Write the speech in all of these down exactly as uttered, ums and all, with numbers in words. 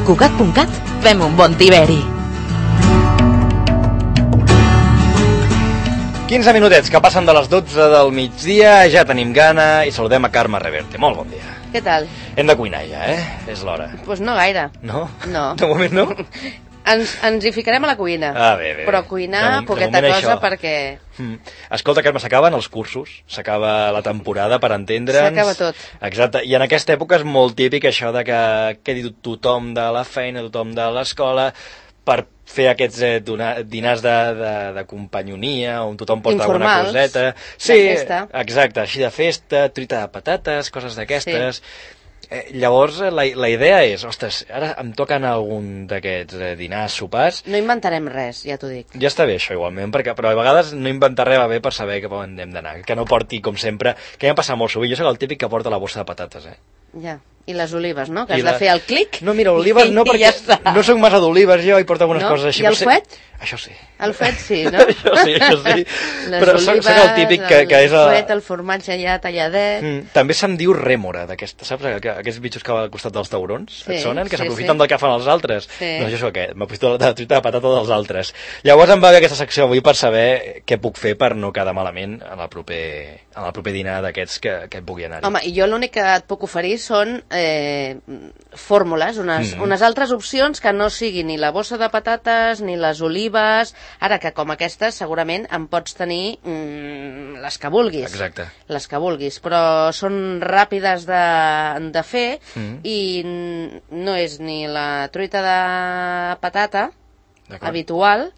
Cugat punt cat fem un bon tiberi. quinze minutets que passen de les dotze del migdia, ja tenim gana i saludem a Carme Reverte. Molt bon dia. Què tal? Hem de cuinar ja, eh? És l'hora. Doncs pues no gaire. No? No. De moment no? Ens, ens hi ficarem a la cuina. Ah, bé, bé. Però cuinar, de, poqueta de cosa, això. perquè... Mm. Escolta, Carme, s'acaben els cursos, s'acaba la temporada, per entendre'ns. S'acaba tot. Exacte, i en aquesta època és molt típic això de que quedi tothom de la feina, tothom de l'escola, per fer aquests eh, donar, dinars de, de, de companyonia, on tothom porta informals, alguna coseta. Sí, de festa. Exacte, així de festa, truita de patates, coses d'aquestes. Sí. Eh, llavors, la, la idea és, ostres, ara em toquen algun d'aquests eh, dinars, sopars. No inventarem res, ja t'ho dic. Ja està bé això igualment, perquè, però a vegades no inventar res va bé per saber cap on hem d'anar, que no porti, com sempre, que ja em passa molt sovint, jo soc el típic que porta la bossa de patates, eh? Ja, i les olives, no? Que I has la... de fer el clic. No, mira, olives no, perquè ja no soc massa d'olives jo, i porto algunes no? coses així. I el fuet? Sí. Això sí. El fuet sí, no? això sí, això sí. Les però olives, soc, soc el típic que, que és... El El fuet, el formatge ja talladet... Mm, també se'm diu rèmora, d'aquesta, saps? Aquests bitxos que va al costat dels taurons, sí, et sonen? Que sí, s'aprofiten sí. del que fan els altres. Sí. Doncs jo sóc aquest, m'aprofito de la truita de patata dels altres. Llavors em va bé aquesta secció avui per saber què puc fer per no quedar malament en el proper, en el proper dinar d'aquests que, que pugui anar-hi. Home, i jo l'únic que et puc oferir són eh, fórmules, unes, mm. unes altres opcions que no siguin ni la bossa de patates, ni les olives... Ara que com aquestes segurament en pots tenir mm, les que vulguis. Exacte. Les que vulguis, però són ràpides de, de fer mm. i no és ni la truita de patata habitual,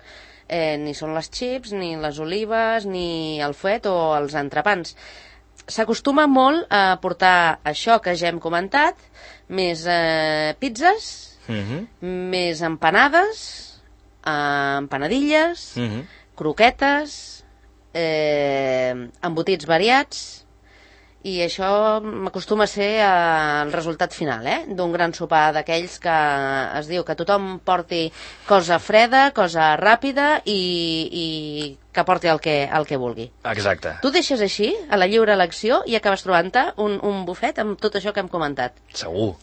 eh, ni són les chips, ni les olives, ni el fuet o els entrepans. S'acostuma molt a portar això que ja hem comentat, més eh, pizzas, mm-hmm. més empanades, eh, empanadilles, mm-hmm. croquetes, eh, embotits variats, i això m'acostuma a ser el resultat final, eh? D'un gran sopar d'aquells que es diu que tothom porti cosa freda, cosa ràpida i, i que porti el que, el que vulgui. Exacte. Tu deixes així, a la lliure elecció, i acabes trobant-te un, un bufet amb tot això que hem comentat. Segur.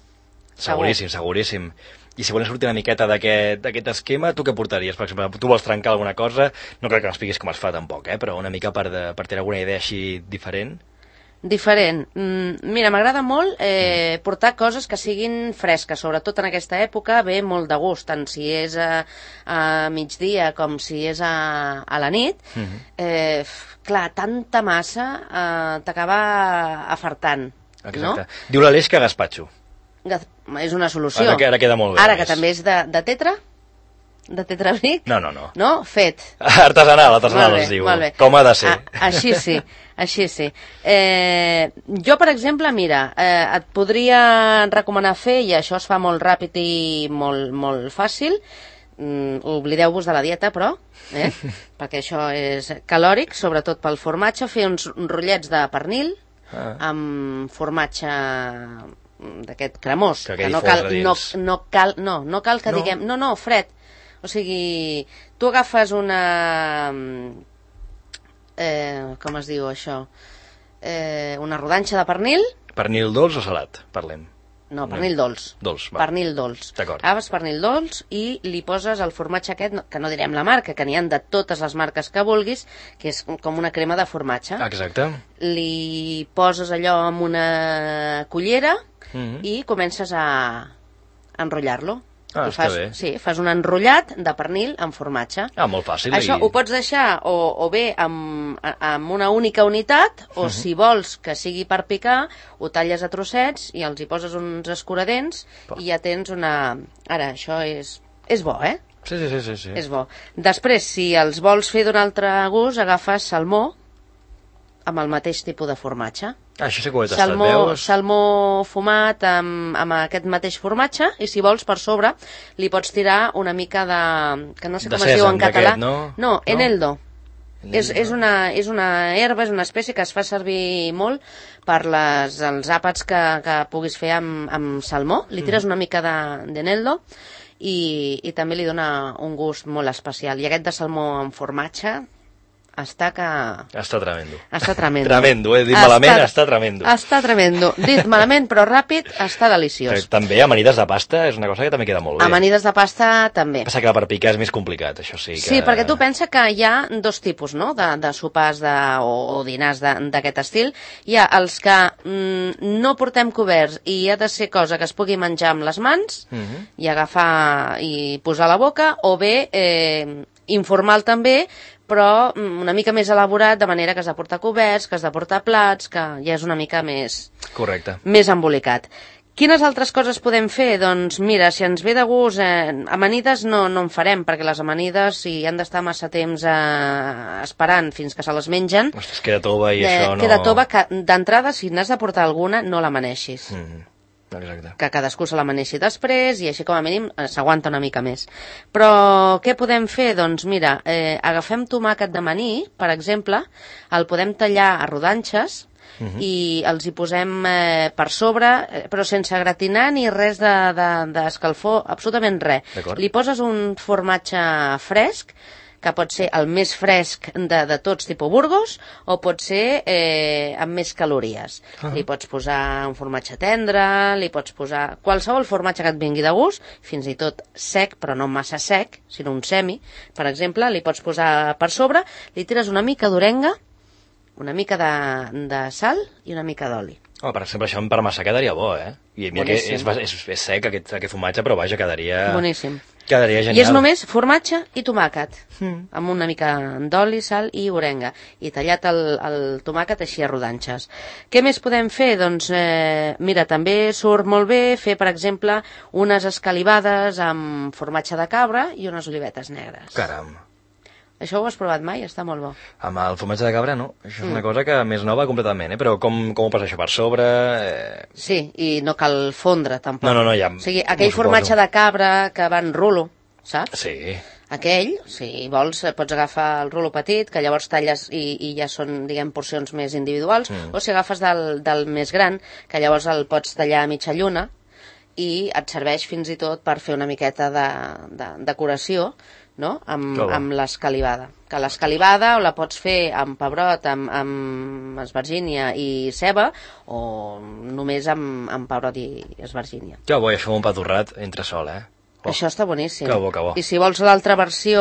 Seguríssim, seguríssim. I si volem sortir una miqueta d'aquest esquema, tu què portaries? Per exemple, tu vols trencar alguna cosa? No crec que m'expliquis com es fa tampoc, eh? Però una mica per, de, per tenir alguna idea així diferent. Diferent. Mm, mira, m'agrada molt eh, mm. portar coses que siguin fresques, sobretot en aquesta època, ve molt de gust, tant si és a, a migdia com si és a, a la nit. Mm-hmm. eh, clar, tanta massa eh, t'acaba afartant. Exacte. No? Diu l'Aleix que gaspatxo. És una solució. Ara que, ara queda molt bé. Ara que també és de, de tetra, de tetrabric. No, no, no. No? Fet. Artesanal, artesanal es diu. Com ha de ser. A, així sí, així sí. Eh, jo, per exemple, mira, eh, et podria recomanar fer, i això es fa molt ràpid i molt, molt fàcil, mm, oblideu-vos de la dieta, però, eh, perquè això és calòric, sobretot pel formatge, fer uns rotllets de pernil ah. amb formatge d'aquest cremós, que, que no cal, no, no cal, no, no cal que no. diguem, no, no, fred. O sigui, tu agafes una... Eh, com es diu això? Eh, una rodanxa de pernil. Pernil dolç o salat, parlem? No, pernil no. dolç. Dolç, va. Pernil dolç. D'acord. Agafes pernil dolç i li poses el formatge aquest, que no direm la marca, que n'hi ha de totes les marques que vulguis, que és com una crema de formatge. Exacte. Li poses allò amb una cullera mm-hmm. i comences a enrotllar-lo. Ah, fas, està bé. Sí, fas un enrotllat de pernil amb formatge. Ah, molt fàcil. Això i... ho pots deixar o, o bé amb, amb una única unitat, o uh-huh. si vols que sigui per picar, ho talles a trossets i els hi poses uns escuradents pa. I ja tens una... Ara, això és, és bo, eh? Sí, sí, sí, sí, sí. És bo. Després, si els vols fer d'un altre gust, agafes salmó amb el mateix tipus de formatge. Ah, això sí que ho he tastat, salmó, veus? Salmó fumat amb, amb aquest mateix formatge, i si vols per sobre li pots tirar una mica de... que no sé de com es diu en català. No? No, eneldo. No? És, és, una, és una herba, és una espècie que es fa servir molt per les, els àpats que, que puguis fer amb, amb salmó. Li tires mm. una mica d'eneldo i, i també li dona un gust molt especial. I aquest de salmó amb formatge, està que... Està tremendo. Està tremendo. Tremendo, he dit malament, està tremendo. Està tremendo. Dit malament, però ràpid, està deliciós. També amanides de pasta és una cosa que també queda molt bé. Amanides de pasta també. Passa que per picar és més complicat, això sí. Que... Sí, perquè tu pensa que hi ha dos tipus, no?, de, de sopars de, o, o dinars d'aquest estil. Hi ha els que mm, no portem coberts i ha de ser cosa que es pugui menjar amb les mans uh -huh. i agafar i posar a la boca, o bé eh, informal també, però una mica més elaborat, de manera que has de portar coberts, que has de portar plats, que ja és una mica més... Correcte. Més embolicat. Quines altres coses podem fer? Doncs mira, si ens ve de gust, eh, amanides no, no en farem, perquè les amanides, si han d'estar massa temps eh, esperant fins que se les mengen... Ostres, queda tova i eh, això no... Queda tova, que d'entrada, si n'has de portar alguna, no l'amaneixis. Mm. Exacte. Que cadascú se l'amaneixi després i així com a mínim s'aguanta una mica més. Però què podem fer? Doncs mira, eh, agafem tomàquet d'amanir, per exemple, el podem tallar a rodanxes uh-huh. i els hi posem eh, per sobre, eh, però sense gratinar ni res d'escalfor, de, de absolutament res. Li poses un formatge fresc, que pot ser el més fresc de, de tots, tipus Burgos, o pot ser eh, amb més calories. Uh-huh. Li pots posar un formatge tendre, li pots posar qualsevol formatge que et vingui de gust, fins i tot sec, però no massa sec, sinó un semi, per exemple, li pots posar per sobre, li tires una mica d'orenga, una mica de, de sal i una mica d'oli. Oh, per exemple, això en parmesà quedaria bo, eh? I mira que és, és, és sec aquest, aquest formatge, però vaja, quedaria... Boníssim. Quedaria genial. I és només formatge i tomàquet, mm. amb una mica d'oli, sal i orenga, i tallat el, el tomàquet així a rodanxes. Què més podem fer? Doncs, eh, mira, també surt molt bé fer, per exemple, unes escalivades amb formatge de cabra i unes olivetes negres. Caram. Això ho has provat mai? Està molt bo. Amb el formatge de cabra, no. Això és mm. una cosa que més nova completament, eh? Però com, com ho passa això per sobre? Eh... Sí, i no cal fondre, tampoc. No, no, no, ja... O sigui, aquell formatge de cabra que va en rulo, saps? Sí. Aquell, si vols, pots agafar el rulo petit, que llavors talles i, i ja són, diguem, porcions més individuals, mm. o si agafes del, del més gran, que llavors el pots tallar a mitja lluna i et serveix fins i tot per fer una miqueta de, de decoració, no?, amb, amb l'escalivada. Que l'escalivada o la pots fer amb pebrot, amb, amb esvergínia i ceba, o només amb, amb pebrot i esvergínia. Que bo, i això un pa torrat entre sol, eh? Oh. Això està boníssim. Que bo, que bo. I si vols l'altra versió,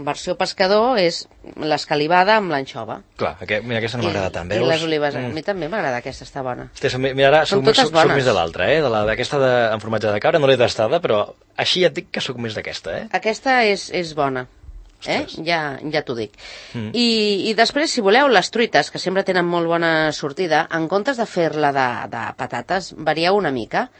versió pescador, és l'escalivada amb l'anxova. Clar, aquest, mira, aquesta no m'agrada tant, veus? I les olives, mm. a mi també m'agrada, aquesta està bona. Hosti, mira, ara soc, soc, soc més de l'altra, eh? D'aquesta de, amb formatge de cabra no l'he tastada, però així ja et dic que sóc més d'aquesta, eh? Aquesta és, és bona. Eh? Ja, ja t'ho dic. Mm. I, I després, si voleu, les truites, que sempre tenen molt bona sortida, en comptes de fer-la de, de patates, varieu una mica.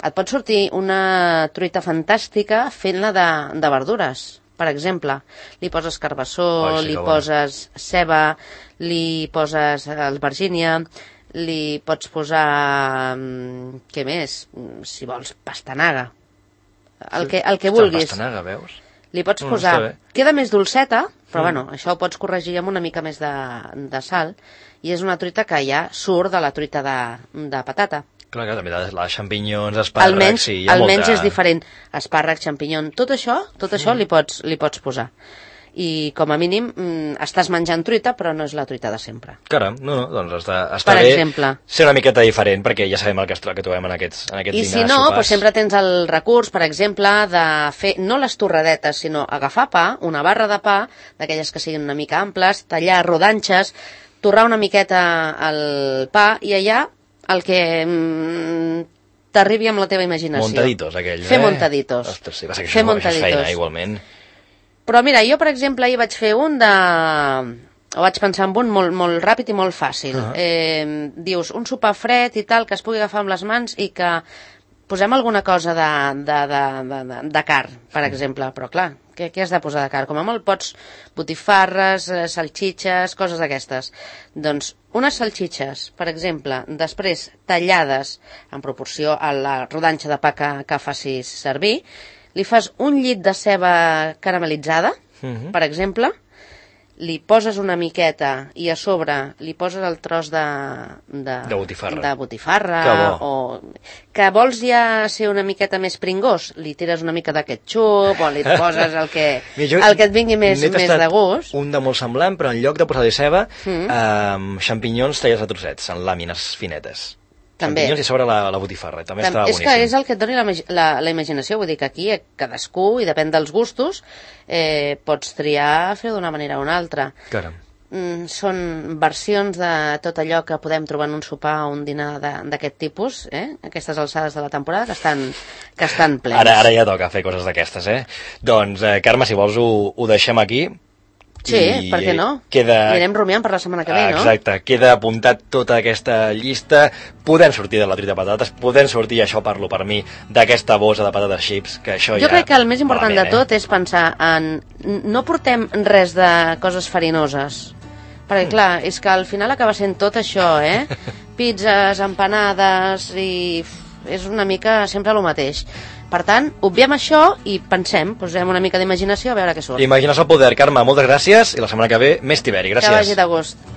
Et pot sortir una truita fantàstica fent-la de, de verdures. Per exemple, li poses carbassó, oh, sí, li poses bona. Ceba, li poses albergínia, li pots posar... què més? Si vols, pastanaga. El que, el que vulguis. Pastanaga, veus? Li pots posar... No, queda més dolceta, però mm. bueno, això ho pots corregir amb una mica més de, de sal, i és una truita que ja surt de la truita de, de patata. Clar, clar, també les xampinyons, espàrrecs... Almenys, sí, hi ha almenys molta... és diferent. Espàrrec, xampinyon, tot això, tot això mm. li, pots, li pots posar. I com a mínim mm, estàs menjant truita, però no és la truita de sempre. Caram, no, no, doncs està, està per bé exemple, ser una miqueta diferent, perquè ja sabem el que, que trobem en aquests, en aquests I dinars, si no, sopars. doncs sempre tens el recurs, per exemple, de fer, no les torradetes, sinó agafar pa, una barra de pa, d'aquelles que siguin una mica amples, tallar rodanxes, torrar una miqueta el pa, i allà el que mm, t'arribi amb la teva imaginació. Montaditos, aquell, Fer eh? montaditos. Ostres, sí, va ser que Fer això, montaditos. Això és feina, igualment. Però mira, jo, per exemple, ahir vaig fer un de... O vaig pensar en un molt, molt ràpid i molt fàcil. Uh -huh. eh, dius, un sopar fred i tal, que es pugui agafar amb les mans i que posem alguna cosa de, de, de, de, de carn, per exemple. Però clar, què, què has de posar de carn? Com a molt pots botifarres, eh, salxitxes, coses d'aquestes. Doncs unes salxitxes, per exemple, després tallades en proporció a la rodanxa de pa que, que facis servir, li fas un llit de ceba caramelitzada, uh-huh. per exemple, li poses una miqueta i a sobre li poses el tros de... De, de botifarra. De botifarra que bo. O que vols ja ser una miqueta més pringós, li tires una mica de ketchup o li poses el que, el que et vingui més, més de gust. Un de molt semblant, però en lloc de posar-li ceba, mm. eh, xampinyons tallats a trossets, en làmines finetes. També. Xampinyons i sobre la, la botifarra, també, també estava és boníssim. És que és el que et doni la, la, la imaginació, vull dir que aquí cadascú, i depèn dels gustos, eh, pots triar fer-ho d'una manera o una altra. Caram. Mm, són versions de tot allò que podem trobar en un sopar o un dinar d'aquest tipus, eh? Aquestes alçades de la temporada que estan, que estan plenes. Ara, ara ja toca fer coses d'aquestes, eh? Doncs, eh, Carme, si vols ho, ho deixem aquí. Sí, I per què no? Queda... Anirem rumiant per la setmana que ve, no? Exacte, queda apuntat tota aquesta llista. Podem sortir de la truita de patates, podem sortir, això parlo per mi, d'aquesta bossa de patates chips, que això jo ja... crec que el més important malament, de tot eh? és pensar en... No portem res de coses farinoses, perquè mm. clar, és que al final acaba sent tot això, eh? Pizzas, empanades i... és una mica sempre el mateix. Per tant, obviem això i pensem, posem una mica d'imaginació a veure què surt. Imaginació al poder. Carme, moltes gràcies i la setmana que ve més tiberi. Gràcies. Que vagi de gust.